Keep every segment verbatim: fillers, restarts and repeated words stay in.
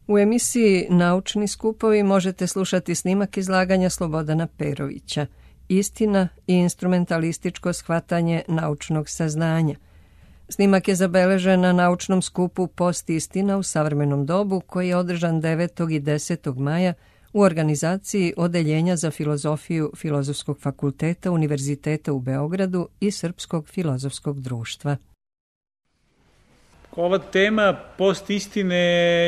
U emisiji Naučni skupovi možete slušati snimak izlaganja Slobodana Perovića, Istina i instrumentalističko shvatanje naučnog saznanja. Snimak je zabeležen na naučnom skupu Post istina u savremenom dobu koji je održan devetog i desetog maja u organizaciji Odeljenja za filozofiju Filozofskog fakulteta Univerziteta u Beogradu i Srpskog filozofskog društva. Ova tema post istine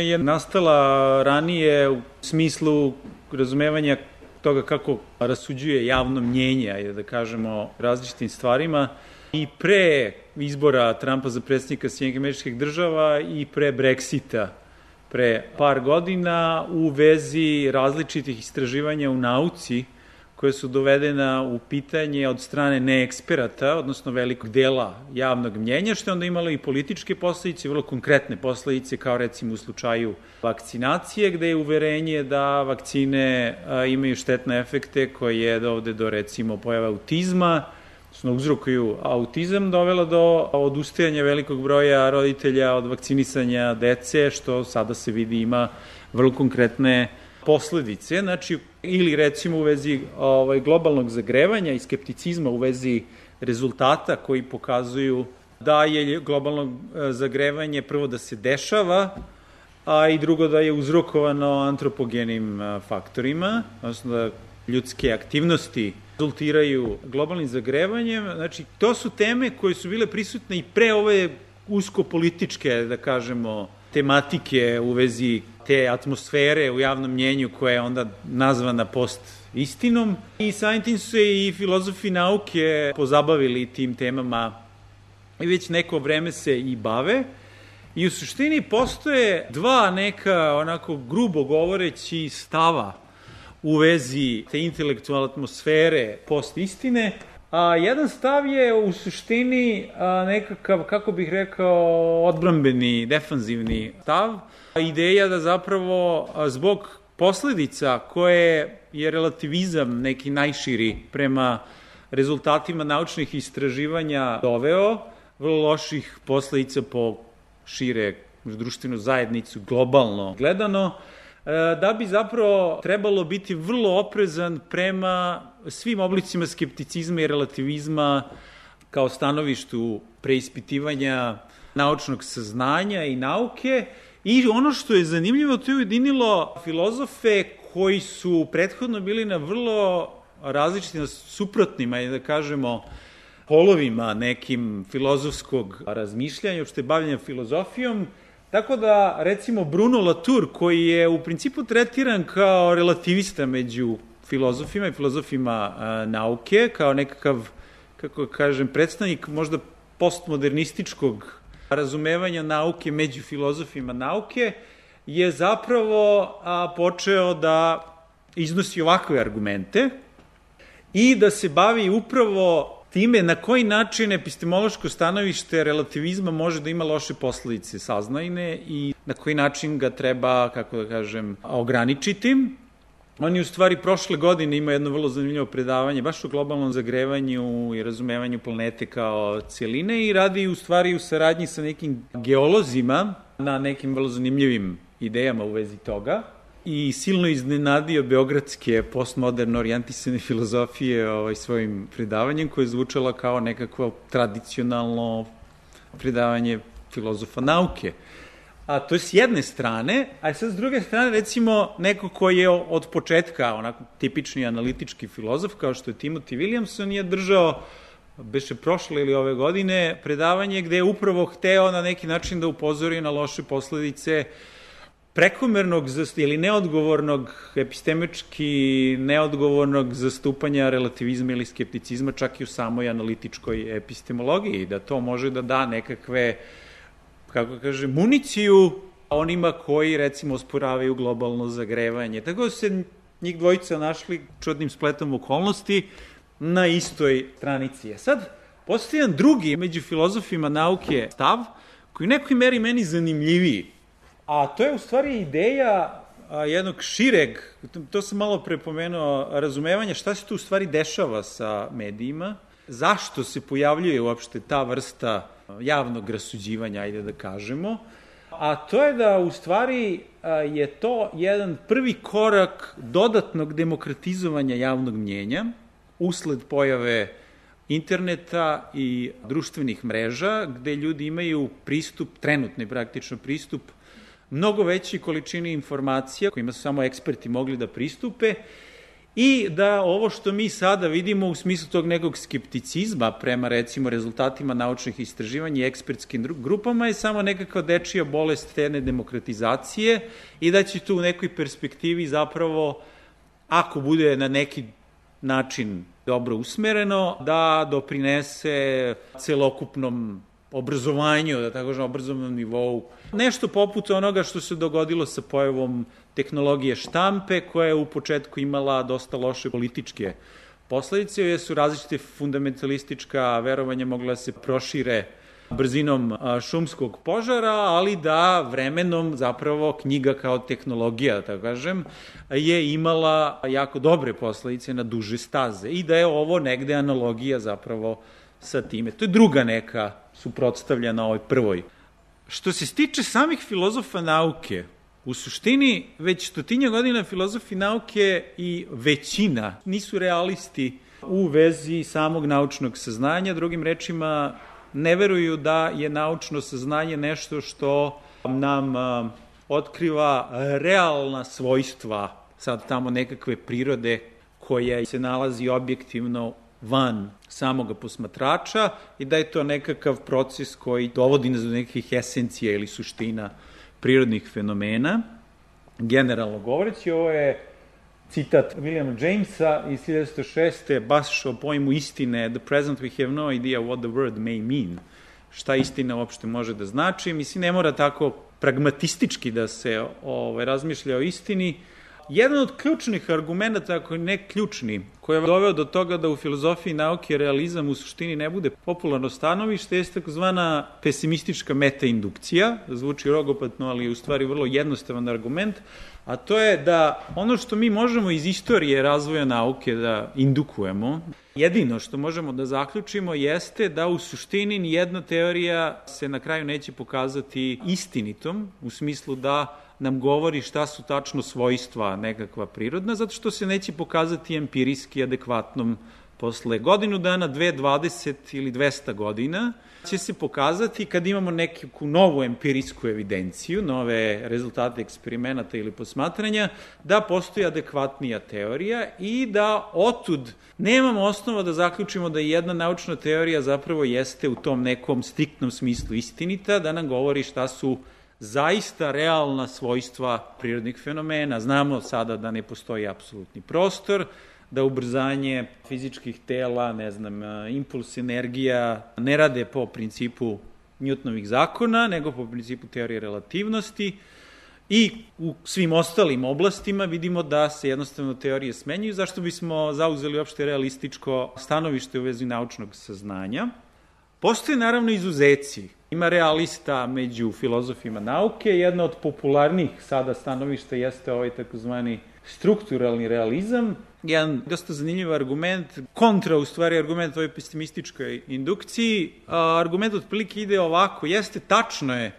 je nastala ranije u smislu razumevanja toga kako rasuđuje javno mnjenje, ajde da kažemo, različitim stvarima, i pre izbora Trumpa za predsjednika Sjedinjenih Američkih Država i pre Brexita pre par godina u vezi različitih istraživanja u nauci koje su dovedena u pitanje od strane neeksperata, odnosno velikog dela javnog mnjenja, što je onda imalo i političke posledice, vrlo konkretne posledice, kao recimo u slučaju vakcinacije, gde je uverenje da vakcine a, imaju štetne efekte koje dovode do, recimo, pojave autizma, odnosno uzrokuju autizam, dovela do odustajanja velikog broja roditelja od vakcinisanja dece, što sada se vidi ima vrlo konkretne posledice. Znači, ili recimo u vezi ovaj, globalnog zagrevanja i skepticizma u vezi rezultata koji pokazuju da je globalno zagrevanje prvo da se dešava, a i drugo da je uzrokovano antropogenim faktorima, odnosno da ljudske aktivnosti rezultiraju globalnim zagrevanjem. Znači, to su teme koje su bile prisutne i pre ove usko-političke, da kažemo, tematike u vezi te atmosfere u javnom mnjenju koja je onda nazvana post-istinom. I samim tim su se i filozofi nauke pozabavili tim temama i već neko vreme se i bave. I u suštini postoje dva neka, onako grubo govoreći, stava u vezi te intelektualne atmosfere post-istine. A jedan stav je u suštini a, nekakav, kako bih rekao, odbrambeni, defanzivni stav. Ideja da zapravo a, zbog posledica koje je relativizam neki najširi prema rezultatima naučnih istraživanja doveo, vrlo loših posledica po šire društvenu zajednicu globalno gledano, da bi zapravo trebalo biti vrlo oprezan prema svim oblicima skepticizma i relativizma kao stanovištu preispitivanja naučnog saznanja i nauke. I ono što je zanimljivo, to je ujedinilo filozofe koji su prethodno bili na vrlo različitim, suprotnim, da kažemo, polovima nekim filozofskog razmišljanja, što je bavljanje filozofijom. Tako da, recimo, Bruno Latour, koji je u principu tretiran kao relativista među filozofima i filozofima a, nauke, kao nekakav, kako kažem, predstavnik možda postmodernističkog razumevanja nauke među filozofima nauke, je zapravo a, počeo da iznosi ovakve argumente i da se bavi upravo time na koji način epistemološko stanovište relativizma može da ima loše posledice saznajne i na koji način ga treba, kako da kažem, ograničiti. On je u stvari prošle godine imao jedno vrlo zanimljivo predavanje baš o globalnom zagrevanju i razumevanju planete kao cijeline i radi u stvari u saradnji sa nekim geolozima na nekim vrlo zanimljivim idejama u vezi toga. I silno iznenadio beogradske postmoderne orijentisane filozofije ovaj, svojim predavanjem koje je zvučalo kao nekakvo tradicionalno predavanje filozofa nauke. A to je s jedne strane, a sad s druge strane recimo neko ko je od početka onako tipični analitički filozof kao što je Timothy Williamson je držao, beše prošle ili ove godine, predavanje gde je upravo hteo na neki način da upozori na loše posledice prekomernog ili neodgovornog, epistemički neodgovornog zastupanja relativizma ili skepticizma čak i u samoj analitičkoj epistemologiji, da to može da da nekakve, kako kaže, municiju onima koji, recimo, osporavaju globalno zagrevanje. Tako da se njih dvojica našli čudnim spletom okolnosti na istoj stranici. Sad, postoji jedan drugi među filozofima nauke stav, koji u nekoj meri meni zanimljiviji. A to je u stvari ideja a, jednog šireg, to sam malo prepomenuo, razumevanja šta se tu u stvari dešava sa medijima, zašto se pojavljuje uopšte ta vrsta javnog rasuđivanja, ajde da kažemo, a to je da u stvari je to jedan prvi korak dodatnog demokratizovanja javnog mnjenja usled pojave interneta i društvenih mreža, gde ljudi imaju pristup, trenutni praktično pristup, mnogo veći količini informacija kojima su samo eksperti mogli da pristupe i da ovo što mi sada vidimo u smislu tog nekog skepticizma prema recimo rezultatima naučnih istraživanja i ekspertskim grupama je samo nekakva dečija bolest tene demokratizacije i da će tu u nekoj perspektivi zapravo, ako bude na neki način dobro usmereno, da doprinese celokupnom obrazovanju, da tako kažem, obrazovnom nivou. Nešto poput onoga što se dogodilo sa pojavom tehnologije štampe, koja je u početku imala dosta loše političke posledice, jer su različite fundamentalistička verovanja mogla se prošire brzinom šumskog požara, ali da vremenom zapravo knjiga kao tehnologija, da tako kažem, je imala jako dobre posledice na duže staze i da je ovo negde analogija zapravo sa time. To je druga neka suprotstavljena ovoj prvoj. Što se stiče samih filozofa nauke, u suštini već stotinja godina filozofi nauke i većina nisu realisti u vezi samog naučnog saznanja, drugim rečima ne veruju da je naučno saznanje nešto što nam a, otkriva realna svojstva, sad tamo nekakve prirode koja se nalazi objektivno van samoga posmatrača i da je to nekakav proces koji dovodi nas do nekih esencija ili suština prirodnih fenomena. Generalno govoreći, ovo je citat Williama Jamesa iz hiljadu šeste. baš o pojmu istine, "The present we have no idea what the word may mean." Šta istina uopšte može da znači? Mislim, ne mora tako pragmatistički da se ovaj, razmišlja o istini. Jedan od ključnih argumenta, ako ne ključni, koji je doveo do toga da u filozofiji nauke realizam u suštini ne bude popularno stanovište, je takozvana pesimistička metaindukcija. Zvuči rogopatno, ali je u stvari vrlo jednostavan argument, a to je da ono što mi možemo iz istorije razvoja nauke da indukujemo, jedino što možemo da zaključimo jeste da u suštini nijedna teorija se na kraju neće pokazati istinitom, u smislu da nam govori šta su tačno svojstva nekakva prirodna, zato što se neće pokazati empirijski adekvatnom posle godinu dana, dve, dvadeset ili dvesta godina, će se pokazati kad imamo neku novu empirijsku evidenciju, nove rezultate eksperimenata ili posmatranja, da postoji adekvatnija teorija i da otud nemamo osnova da zaključimo da jedna naučna teorija zapravo jeste u tom nekom striktnom smislu istinita, da nam govori šta su zaista realna svojstva prirodnih fenomena. Znamo sada da ne postoji apsolutni prostor, da ubrzanje fizičkih tela, ne znam, impuls, energija, ne rade po principu Newtonovih zakona, nego po principu teorije relativnosti i u svim ostalim oblastima vidimo da se jednostavno teorije smenjuju. Zašto bismo zauzeli uopšte realističko stanovište u vezi naučnog saznanja? Postoje naravno izuzeci. Ima realista među filozofima nauke. Jedna od popularnijih sada stanovišta jeste ovaj takozvani strukturalni realizam. Jedan dosta zanimljiv argument, kontra u stvari argument ovoj pesimističkoj indukciji. Argument otprilike ide ovako, jeste tačno je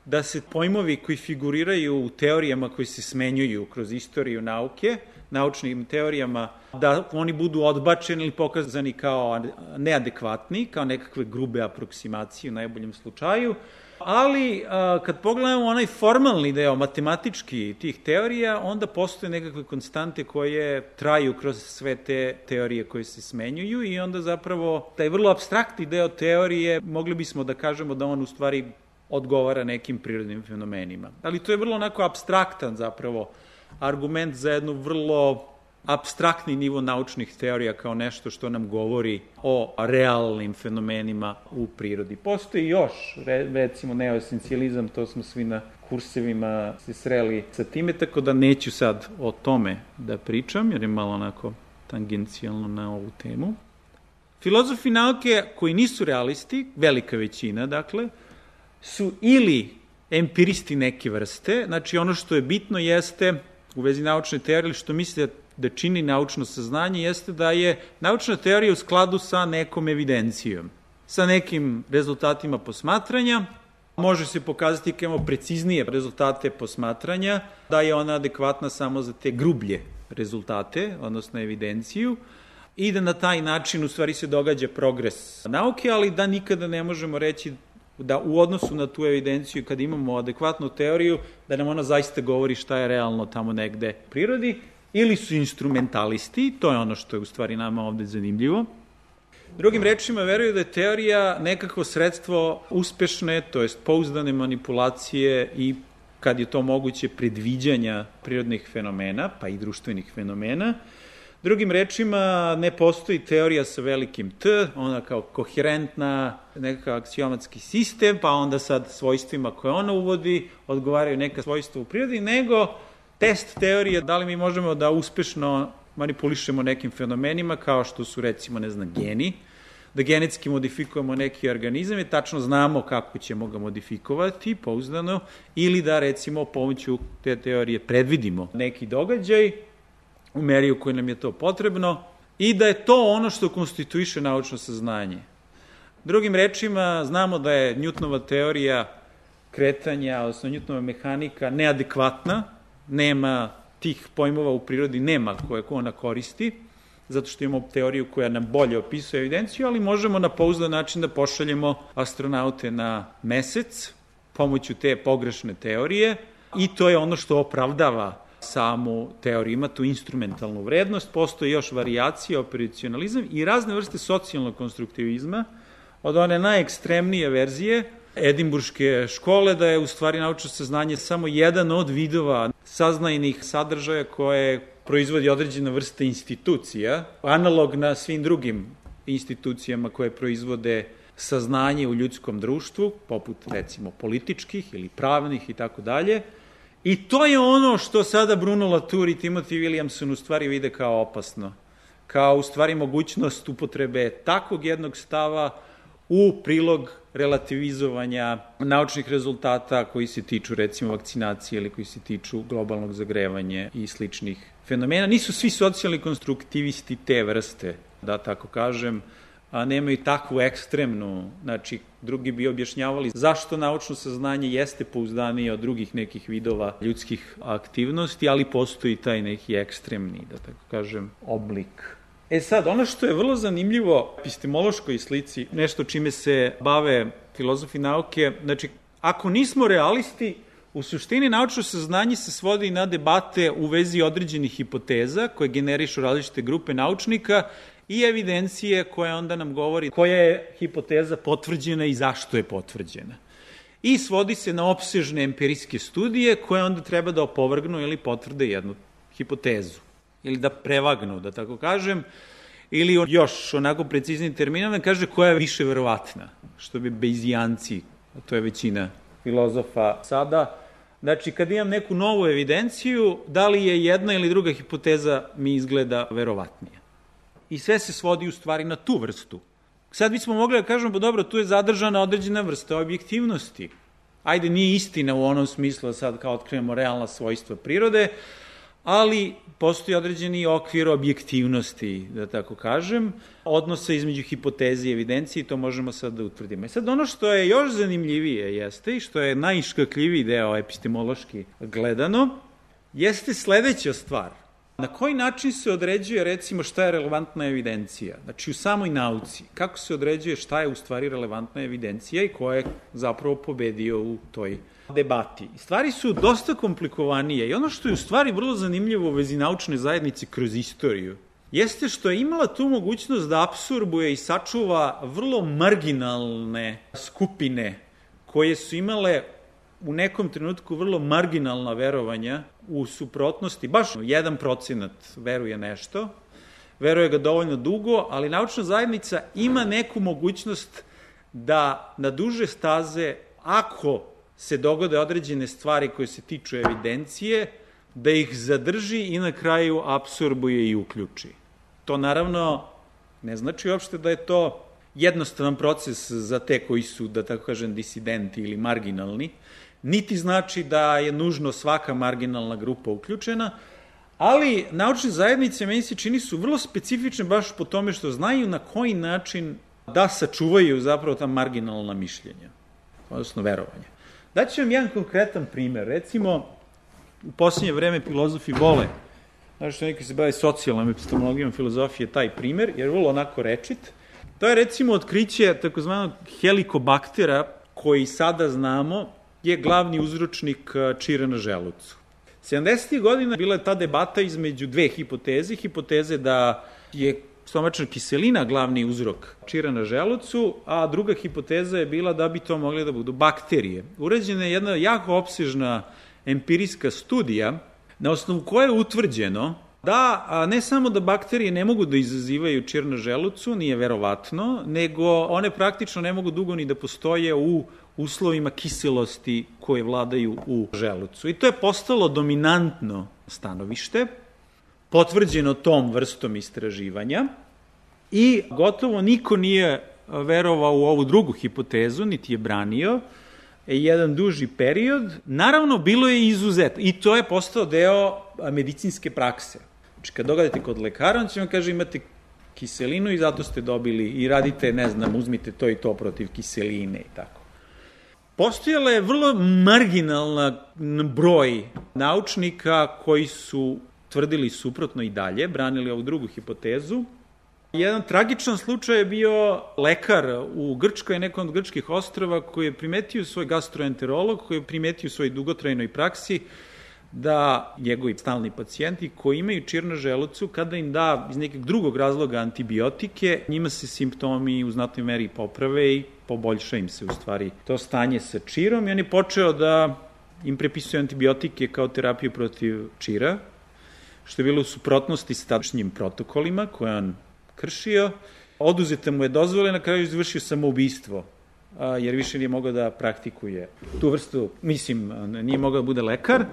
da se pojmovi koji figuriraju u teorijama koji se smenjuju kroz istoriju nauke, naučnim teorijama, da oni budu odbačeni ili pokazani kao neadekvatni, kao nekakve grube aproksimacije u najboljem slučaju, ali a, kad pogledamo onaj formalni deo, matematički tih teorija, onda postoje nekakve konstante koje traju kroz sve te teorije koje se smenjuju i onda zapravo taj vrlo apstraktni deo teorije, mogli bismo da kažemo da on u stvari odgovara nekim prirodnim fenomenima. Ali to je vrlo onako apstraktan zapravo argument za jednu vrlo apstraktni nivo naučnih teorija kao nešto što nam govori o realnim fenomenima u prirodi. Postoji još, recimo, neoesencijalizam, to smo svi na kursevima se sreli sa time, tako da neću sad o tome da pričam, jer je malo onako tangencijalno na ovu temu. Filozofi nauke koji nisu realisti, velika većina, dakle, su ili empiristi neke vrste, znači ono što je bitno jeste u vezi naučne teorije, što misle da čini naučno saznanje, jeste da je naučna teorija u skladu sa nekom evidencijom, sa nekim rezultatima posmatranja Može se pokazati kao imamo preciznije rezultate posmatranja, da je ona adekvatna samo za te grublje rezultate, odnosno evidenciju, i da na taj način u stvari se događa progres nauke, ali da nikada ne možemo reći da u odnosu na tu evidenciju, kad imamo adekvatnu teoriju, da nam ona zaista govori šta je realno tamo negde u prirodi, ili su instrumentalisti, to je ono što je u stvari nama ovde zanimljivo. Drugim rečima, veruju da je teorija nekako sredstvo uspešne, to jest pouzdane manipulacije i, kad je to moguće, predviđanja prirodnih fenomena, pa i društvenih fenomena. Drugim rečima, ne postoji teorija sa velikim T, ona kao koherentna, nekakav aksiomatski sistem, pa onda sad svojstvima koje ona uvodi odgovaraju neka svojstva u prirodi, nego test teorije da li mi možemo da uspešno manipulišemo nekim fenomenima, kao što su, recimo, ne znam, geni, da genetski modifikujemo neki organizam i tačno znamo kako ćemo ga modifikovati, pouzdano, ili da, recimo, pomoću te teorije predvidimo neki događaj u meri u kojoj nam je to potrebno i da je to ono što konstituiše naučno saznanje. Drugim rečima, znamo da je Newtonova teorija kretanja, odnosno Newtonova mehanika, neadekvatna, nema tih pojmova u prirodi, nema koje ona koristi, zato što imamo teoriju koja nam bolje opisuje evidenciju, ali možemo na pouzdan način da pošaljemo astronaute na mesec pomoću te pogrešne teorije i to je ono što opravdava samu teoriju. Ima tu instrumentalnu vrednost, postoji još varijacija, operacionalizam i razne vrste socijalnog konstruktivizma, od one najekstremnije verzije edimburške škole, da je u stvari naučno saznanje samo jedan od vidova saznajnih sadržaja koje proizvodi određena vrsta institucija, analogna svim drugim institucijama koje proizvode saznanje u ljudskom društvu, poput, recimo, političkih ili pravnih i tako dalje. I to je ono što sada Bruno Latour i Timothy Williamson u stvari vide kao opasno, kao u stvari mogućnost upotrebe takvog jednog stava u prilog relativizovanja naučnih rezultata koji se tiču, recimo, vakcinacije ili koji se tiču globalnog zagrevanja i sličnih fenomena. Nisu svi socijalni konstruktivisti te vrste, da tako kažem, a nemaju takvu ekstremnu, znači, drugi bi objašnjavali zašto naučno saznanje jeste pouzdanije od drugih nekih vidova ljudskih aktivnosti, ali postoji taj neki ekstremni, da tako kažem, oblik. E sad, ono što je vrlo zanimljivo epistemološkoj slici, nešto čime se bave filozofi nauke, znači, ako nismo realisti, u suštini naučno saznanje se svodi na debate u vezi određenih hipoteza koje generišu različite grupe naučnika i evidencije koja onda nam govori koja je hipoteza potvrđena i zašto je potvrđena. I svodi se na opsežne empirijske studije koje onda treba da opovrgnu ili potvrde jednu hipotezu. Ili da prevagnu, da tako kažem, ili još onako preciznijim terminom da kaže koja je više verovatna, što bi Bayesijanci, a to je većina filozofa sada. Znači, kad imam neku novu evidenciju, da li je jedna ili druga hipoteza mi izgleda verovatnija. I sve se svodi u stvari na tu vrstu. Sad bismo mogli da kažemo, pa dobro, tu je zadržana određena vrsta objektivnosti. Ajde, nije istina u onom smislu da sad kao otkrijemo realna svojstva prirode, ali postoji određeni okvir objektivnosti, da tako kažem, odnosa između hipoteze i evidencije i to možemo sad da utvrdimo. I sad ono što je još zanimljivije jeste i što je najiškakljiviji deo epistemološki gledano, jeste sledeća stvar. Na koji način se određuje, recimo, šta je relevantna evidencija? Znači, u samoj nauci, kako se određuje šta je u stvari relevantna evidencija i ko je zapravo pobedio u toj debati. Stvari su dosta komplikovanije i ono što je u stvari vrlo zanimljivo u vezi naučne zajednice kroz istoriju, jeste što je imala tu mogućnost da apsorbuje i sačuva vrlo marginalne skupine koje su imale u nekom trenutku vrlo marginalna verovanja u suprotnosti, baš jedan procenat veruje nešto, veruje ga dovoljno dugo, ali naučna zajednica ima neku mogućnost da na duže staze, ako se dogode određene stvari koje se tiču evidencije, da ih zadrži i na kraju apsorbuje i uključi. To naravno ne znači uopšte da je to jednostavan proces za te koji su, da tako kažem, disidenti ili marginalni, niti znači da je nužno svaka marginalna grupa uključena, ali naučne zajednice, meni se čini, su vrlo specifične baš po tome što znaju na koji način da sačuvaju zapravo ta marginalna mišljenja. odnosno verovanja. Daću vam jedan konkretan primer. Recimo, u posljednje vreme filozofi vole, znači što neki se bave socijalnom epistemologijom filozofije, taj primer, jer je vrlo onako rečit. To je recimo otkriće takozvanog helikobaktera, koji sada znamo je glavni uzročnik čira na želucu. sedamdesetih godina bila je ta debata između dve hipoteze. Hipoteze da je stomačna kiselina glavni uzrok čira na želucu, a druga hipoteza je bila da bi to mogli da budu bakterije. Urađena je jedna jako opsežna empirijska studija na osnovu koje je utvrđeno da a ne samo da bakterije ne mogu da izazivaju čir na želucu, nije verovatno, nego one praktično ne mogu dugo ni da postoje u uslovima kiselosti koje vladaju u želucu. I to je postalo dominantno stanovište, potvrđeno tom vrstom istraživanja i gotovo niko nije verovao u ovu drugu hipotezu, niti je branio jedan duži period. Naravno, bilo je izuzet i to je postao deo medicinske prakse. Znači, kad dogadete kod lekara, on će vam kaže imate kiselinu i zato ste dobili i radite, ne znam, uzmite to i to protiv kiseline i tako. Postojala je vrlo marginalna broj naučnika koji su tvrdili suprotno i dalje, branili ovu drugu hipotezu. Jedan tragičan slučaj je bio lekar u Grčkoj, nekom od grčkih ostrava, koji je primetio svoj gastroenterolog, koji je primetio u svojoj dugotrajnoj praksi da njegovi stalni pacijenti koji imaju čir na želucu, kada im da iz nekog drugog razloga antibiotike, njima se simptomi u znatnoj meri poprave i poboljša im se u stvari to stanje sa čirom i on je počeo da im prepisuje antibiotike kao terapiju protiv čira, što je bilo u suprotnosti s tadašnjim protokolima koje on kršio. Oduzeta mu je dozvole, na kraju izvršio samoubistvo, jer više nije mogao da praktikuje tu vrstu, mislim, nije mogao da bude lekar.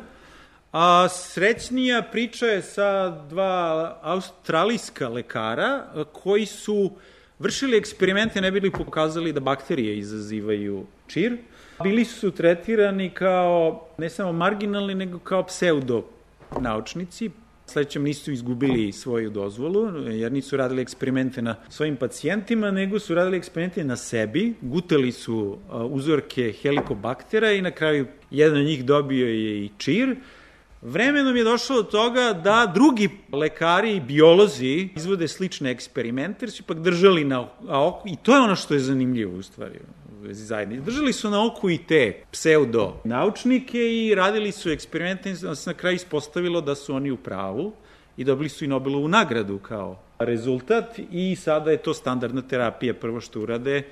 A srećnija priča je sa dva australijska lekara koji su vršili eksperimente, ne bili pokazali da bakterije izazivaju čir. Bili su tretirani kao ne samo marginalni, nego kao pseudo naučnici. Sledećem nisu izgubili svoju dozvolu, jer nisu radili eksperimente na svojim pacijentima, nego su radili eksperimente na sebi, gutali su uzorke helikobaktera i na kraju jedan od njih dobio je i čir. Vremenom je došlo do toga da drugi lekari i biolozi izvode slične eksperimente, jer su ipak držali na oku, i to je ono što je zanimljivo u stvari u vezi zajednice. Držali su na oku i te pseudo naučnike i radili su eksperimente, da se na kraju ispostavilo da su oni u pravu i dobili su i Nobelovu nagradu kao rezultat i sada je to standardna terapija. Prvo što urade,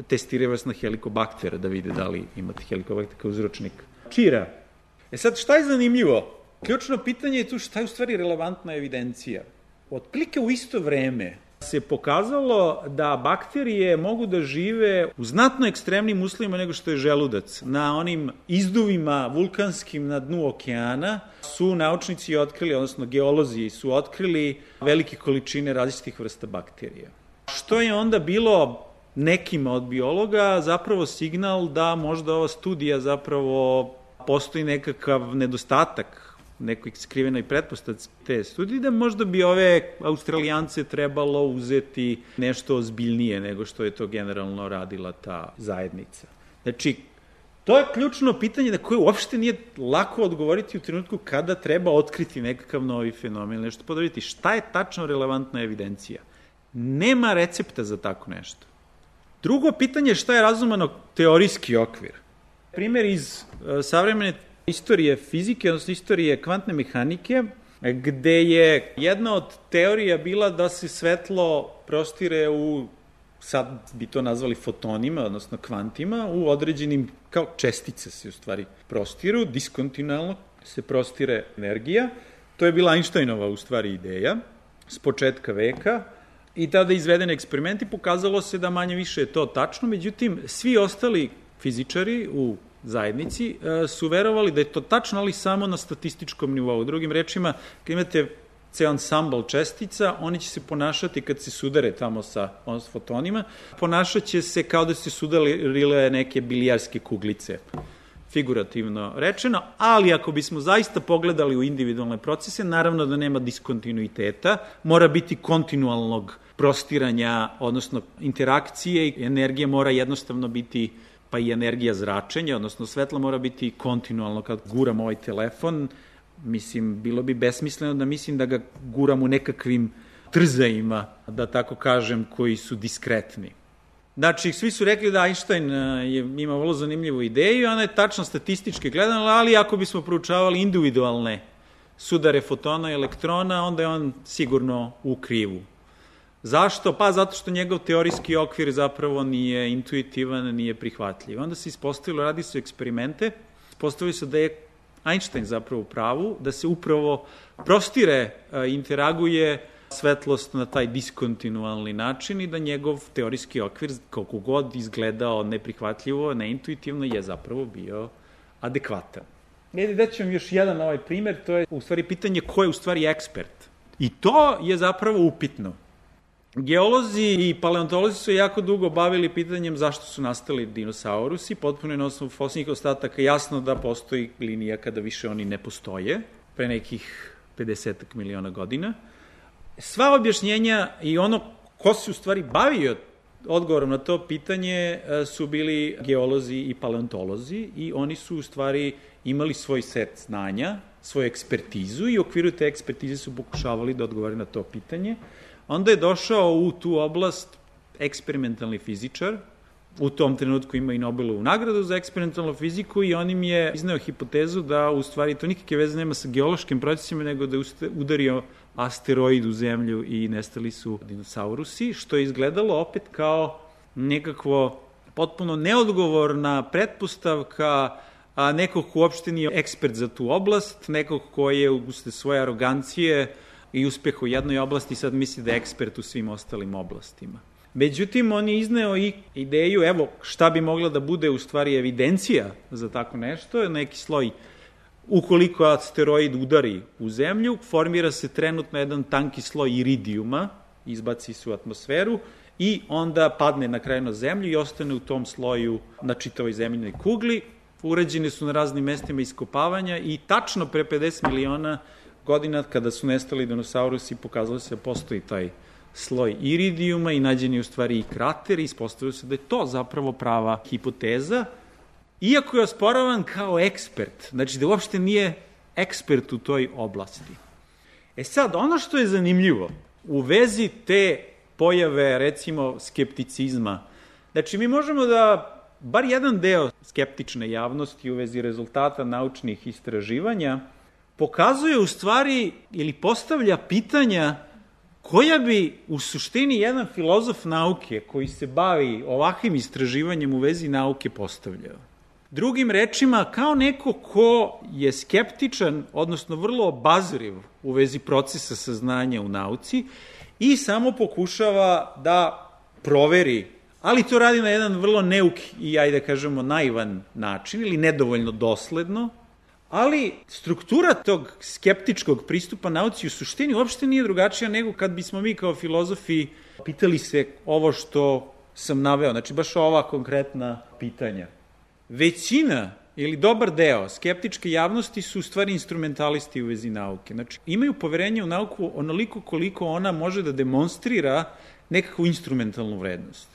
testiraju vas na helikobaktera da vide da li imate helikobakter kao uzročnik čira. E sad, šta je zanimljivo? Ključno pitanje je tu šta je u stvari relevantna evidencija. Otprilike u isto vreme se pokazalo da bakterije mogu da žive u znatno ekstremnim uslovima nego što je želudac. Na onim izduvima vulkanskim na dnu okeana su naučnici otkrili, odnosno geolozi su otkrili velike količine različitih vrsta bakterija. Što je onda bilo nekima od biologa zapravo signal da možda ova studija zapravo postoji nekakav nedostatak, nekoj skrivenoj pretpostavci te studije, da možda bi ove Australijance trebalo uzeti nešto ozbiljnije nego što je to generalno radila ta zajednica. Znači, to je ključno pitanje na koje uopšte nije lako odgovoriti u trenutku kada treba otkriti nekakav novi fenomen, nešto podaviti. Šta je tačno relevantna evidencija? Nema recepta za tako nešto. Drugo pitanje je šta je razumano teorijski okvir. Primer iz uh, savremene istorije fizike, odnosno istorije kvantne mehanike, gde je jedna od teorija bila da se svetlo prostire u, sad bi to nazvali fotonima, odnosno kvantima, u određenim, kao čestice se u stvari prostiru, diskontinualno se prostire energija. To je bila Einsteinova u stvari ideja s početka veka i tada izvedeni eksperimenti pokazalo se da manje više je to tačno, međutim, svi ostali fizičari u zajednici su verovali da je to tačno, ali samo na statističkom nivou. Drugim rečima, kad imate ceo ansambl čestica, oni će se ponašati kad se sudare tamo sa fotonima, ponašat će se kao da se sudarile neke bilijarske kuglice, figurativno rečeno, ali ako bismo zaista pogledali u individualne procese, naravno da nema diskontinuiteta, mora biti kontinualnog prostiranja, odnosno interakcije i energija mora jednostavno biti pa i energija zračenja, odnosno svetlo mora biti kontinualno kad guram ovaj telefon. Mislim, bilo bi besmisleno da mislim da ga guram u nekakvim trzajima, da tako kažem, koji su diskretni. Znači, svi su rekli da Einstein je, ima vrlo zanimljivu ideju, ona je tačno statistički gledana, ali ako bismo proučavali individualne sudare fotona i elektrona, onda je on sigurno u krivu. Zašto? Pa zato što njegov teorijski okvir zapravo nije intuitivan, nije prihvatljiv. Onda se ispostavilo, radi su eksperimente, ispostavilo se da je Einstein zapravo u pravu, da se upravo prostire, interaguje svetlost na taj diskontinualni način i da njegov teorijski okvir, koliko god izgledao neprihvatljivo, neintuitivno, je zapravo bio adekvatan. Edi, da ću vam još jedan ovaj primer, to je u stvari pitanje ko je u stvari ekspert. I to je zapravo upitno. Geolozi i paleontolozi su jako dugo bavili pitanjem zašto su nastali dinosaurusi, potpuno je na osnovu fosilnih ostataka jasno da postoji linija kada više oni ne postoje, pre nekih pedeset miliona godina. Sva objašnjenja i ono ko se u stvari bavio odgovorom na to pitanje su bili geolozi i paleontolozi i oni su u stvari imali svoj set znanja, svoju ekspertizu i u okviru te ekspertize su pokušavali da odgovore na to pitanje. Onda je došao u tu oblast eksperimentalni fizičar, u tom trenutku ima i Nobelovu nagradu za eksperimentalnu fiziku i on im je izneo hipotezu da u stvari to nikakve veze nema sa geološkim procesima, nego da je udario asteroid u zemlju i nestali su dinosaurusi, što je izgledalo opet kao nekakvo potpuno neodgovorna pretpostavka a nekog ko uopšte nije ekspert za tu oblast, nekog ko je uste svoje arogancije i uspeh u jednoj oblasti sad misli da je ekspert u svim ostalim oblastima. Međutim, on je izneo i ideju, evo, šta bi mogla da bude u stvari evidencija za tako nešto, neki sloj, ukoliko asteroid udari u zemlju, formira se trenutno jedan tanki sloj iridijuma, izbaci se u atmosferu i onda padne na kraju na zemlju i ostane u tom sloju na čitavoj zemljinoj kugli. Urađene su na raznim mestima iskopavanja i tačno pre pedeset miliona godina, kada su nestali dinosaurusi, pokazalo se da postoji taj sloj iridijuma i nađen je u stvari i krater i ispostavilo se da je to zapravo prava hipoteza, iako je osporavan kao ekspert, znači da uopšte nije ekspert u toj oblasti. E sad, ono što je zanimljivo u vezi te pojave, recimo, skepticizma, znači mi možemo da bar jedan deo skeptične javnosti u vezi rezultata naučnih istraživanja pokazuje u stvari ili postavlja pitanja koja bi u suštini jedan filozof nauke koji se bavi ovakvim istraživanjem u vezi nauke postavljao. Drugim rečima, kao neko ko je skeptičan, odnosno vrlo obazriv u vezi procesa saznanja u nauci i samo pokušava da proveri, ali to radi na jedan vrlo neuk i, ajde da kažemo, naivan način ili nedovoljno dosledno, ali struktura tog skeptičkog pristupa nauci u suštini uopšte nije drugačija nego kad bismo mi kao filozofi pitali se ovo što sam naveo, znači baš ova konkretna pitanja. Većina ili dobar deo skeptičke javnosti su u stvari instrumentalisti u vezi nauke. Znači, imaju poverenje u nauku onoliko koliko ona može da demonstrira nekakvu instrumentalnu vrednost.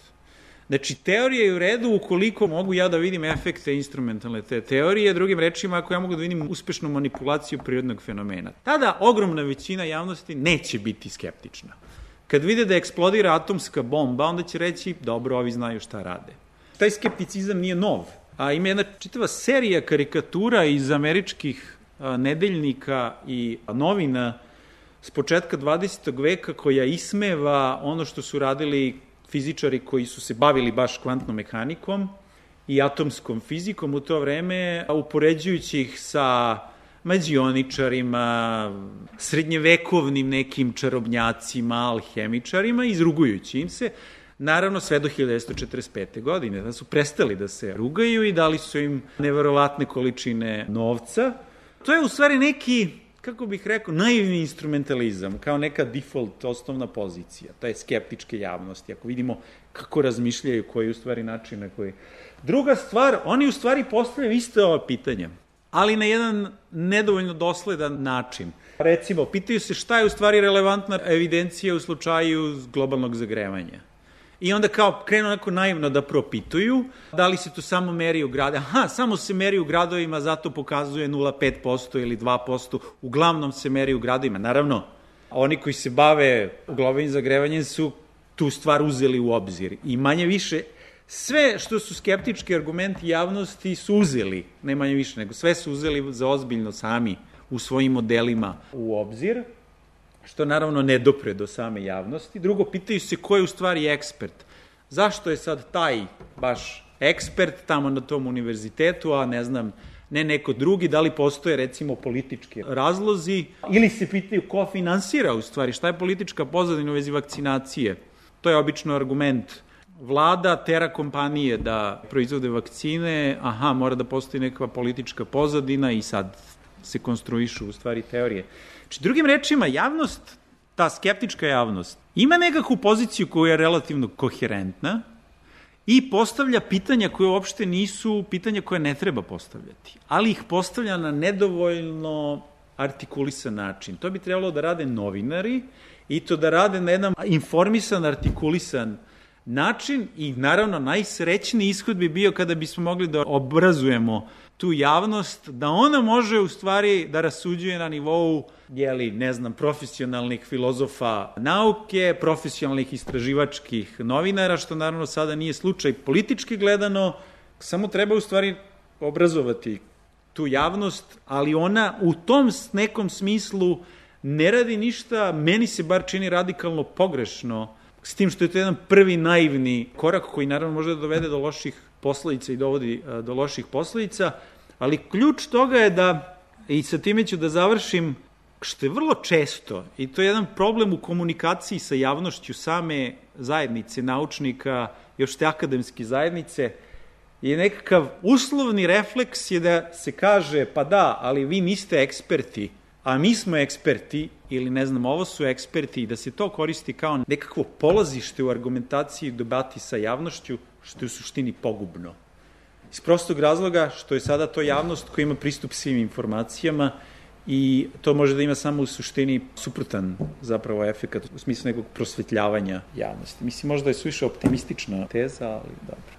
Znači, teorija je u redu ukoliko mogu ja da vidim efekte instrumentalne te teorije, drugim rečima, ako ja mogu da vidim uspešnu manipulaciju prirodnog fenomena. Tada ogromna većina javnosti neće biti skeptična. Kad vide da eksplodira atomska bomba, onda će reći, dobro, ovi znaju šta rade. Taj skepticizam nije nov. A ima jedna čitava serija karikatura iz američkih a, nedeljnika i novina s početka dvadesetog veka koja ismeva ono što su radili fizičari koji su se bavili baš kvantnom mehanikom i atomskom fizikom u to vreme, upoređujući ih sa mađioničarima, srednjevekovnim nekim čarobnjacima, alhemičarima, izrugujući im se, naravno sve do hiljadu devetsto četrdeset pete. godine, da su prestali da se rugaju i dali su im neverovatne količine novca. To je u stvari neki, kako bih rekao, naivni instrumentalizam, kao neka default osnovna pozicija, to je skeptičke javnosti, ako vidimo kako razmišljaju, koji je u stvari način na koji... Druga stvar, oni u stvari postavljaju iste ova pitanja, ali na jedan nedovoljno dosledan način. Recimo, pitaju se šta je u stvari relevantna evidencija u slučaju globalnog zagrevanja. I onda kao krenu onako naivno da propituju da li se to samo meri u gradu. Aha, samo se meri u gradovima, zato pokazuje nula zarez pet posto ili dva posto. Uglavnom se meri u gradovima. Naravno, oni koji se bave globalnim zagrevanjem su tu stvar uzeli u obzir. I manje više, sve što su skeptički argumenti javnosti su uzeli, ne manje više, nego sve su uzeli za ozbiljno sami u svojim modelima u obzir, što naravno ne dopre do same javnosti. Drugo, pitaju se ko je u stvari ekspert. Zašto je sad taj baš ekspert tamo na tom univerzitetu, a ne znam, ne neko drugi, da li postoje recimo politički razlozi, ili se pitaju ko finansira u stvari, šta je politička pozadina u vezi vakcinacije. To je obično argument. Vlada tera kompanije da proizvode vakcine, aha, mora da postoji neka politička pozadina i sad se konstruišu u stvari teorije. Znači, drugim rečima, javnost, ta skeptička javnost, ima nekakvu poziciju koja je relativno koherentna i postavlja pitanja koje uopšte nisu pitanja koje ne treba postavljati, ali ih postavlja na nedovoljno artikulisan način. To bi trebalo da rade novinari i to da rade na jedan informisan, artikulisan način i naravno najsrećniji ishod bi bio kada bismo mogli da obrazujemo tu javnost, da ona može u stvari da rasuđuje na nivou, jeli, ne znam, profesionalnih filozofa nauke, profesionalnih istraživačkih novinara, što naravno sada nije slučaj politički gledano, samo treba u stvari obrazovati tu javnost, ali ona u tom nekom smislu ne radi ništa, meni se bar čini radikalno pogrešno, s tim što je to jedan prvi naivni korak koji naravno može da dovede do loših posledica i dovodi do loših posledica, ali ključ toga je da, i sa time ću da završim, što je vrlo često, i to je jedan problem u komunikaciji sa javnošću same zajednice naučnika, još te akademske zajednice, je nekakav uslovni refleks je da se kaže, pa da, ali vi niste eksperti, a mi smo eksperti, ili ne znam, ovo su eksperti, i da se to koristi kao nekakvo polazište u argumentaciji i debati sa javnošću, što je u suštini pogubno. Iz prostog razloga što je sada to javnost koja ima pristup svim informacijama i to može da ima samo u suštini suprotan zapravo efekat u smislu nekog prosvetljavanja javnosti. Mislim, možda je suviše optimistična teza, ali dobro.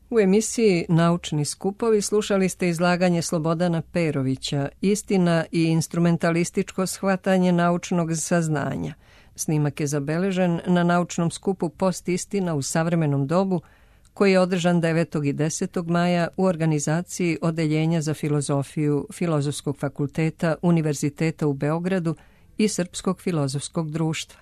U emisiji Naučni skupovi slušali ste izlaganje Slobodana Perovića, Istina i instrumentalističko shvatanje naučnog saznanja. Snimak je zabeležen na naučnom skupu Post-istina u savremenom dobu, koji je održan devetog i desetog maja u organizaciji Odeljenja za filozofiju Filozofskog fakulteta Univerziteta u Beogradu i Srpskog filozofskog društva.